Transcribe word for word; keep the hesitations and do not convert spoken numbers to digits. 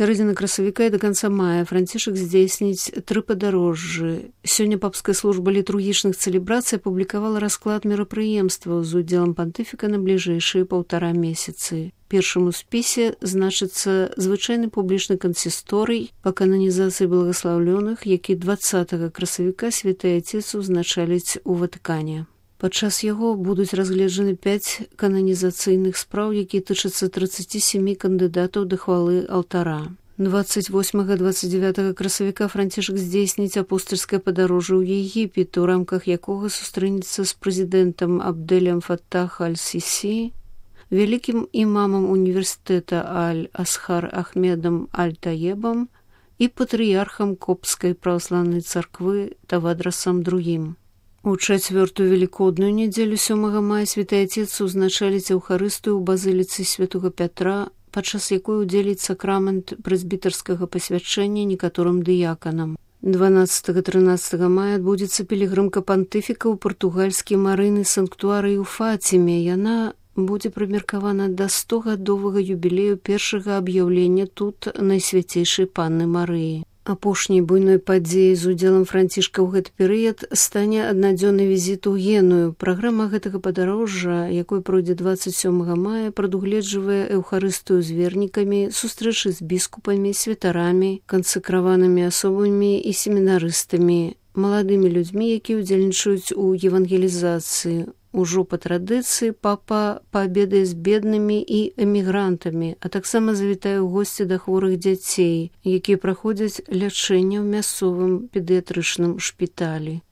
сярэдзіны красавіка і да канца мая Францішак здзейсніць тры падарожжы. Сёння папская служба літургічных цэлебрацый апублікавала расклад мерапрыемстваў з удзелам пантыфіка на бліжэйшыя паўтара месяцы. Першым у спісе значыцца звычайны публічны кансісторый па кананізацыі благаслаўлёных, які дваццатага красавіка святы Ацец узначаліць у Ватыкане. Падчас яго будуць разгледжаны пяць кананізацыйных спраў, якія тычацца трыццаці сямі кандыдатаў да хвалы алтара. дваццаць восьмага - дваццаць дзевятага красавіка Францішак здзейсніць апостальскае падарожжа ў Егіпет, у рамках якога сустрэнецца з прэзідэнтам Абдэлем Фаттах аль-Сісі, вялікім імамам універсітэта Аль-Асхар Ахмедам Аль-Таебам і патрыярхам Копцкай праваслаўнай царквы Тавадрасам другім. У чацвёртую велікодную нядзелю сёмага мая святы Ацец узначаліць Еўхарыстыю ў базыліцы святога Пятра, падчас якой удзеліць сакрамент прэзбітарскага пасвячэння некаторым дыяканам. дванаццатага - трынаццатага мая адбудзецца пілігрымка пантыфіка ў партугальскі марыйны санктуарый у Фаціме. Яна будзе прымеркавана да стогадовага юбілею першага аб'яўлення тут найсвяцейшай панны Марыі. Апошняй буйной падзеяй з удзелам Францішка ў гэты перыяд стане аднадзённы візіт у Геную. Праграма гэтага падарожжа, якой пройдзе дваццаць сёмага мая, прадугледжвае Еўхарыстыю з вернікамі, сустрэчы з біскупамі, святарамі, кансакраванымі асобамі і семінарыстамі, маладымі людзьмі, якія ўдзельнічаюць у евангелізацыі. Ужо па традыцыі папа паабедае з беднымі і эмігрантамі, а таксама завітае ў госці да хворых дзяцей, якія праходзяць лячэнне ў мясцовым педыятрычным шпіталі.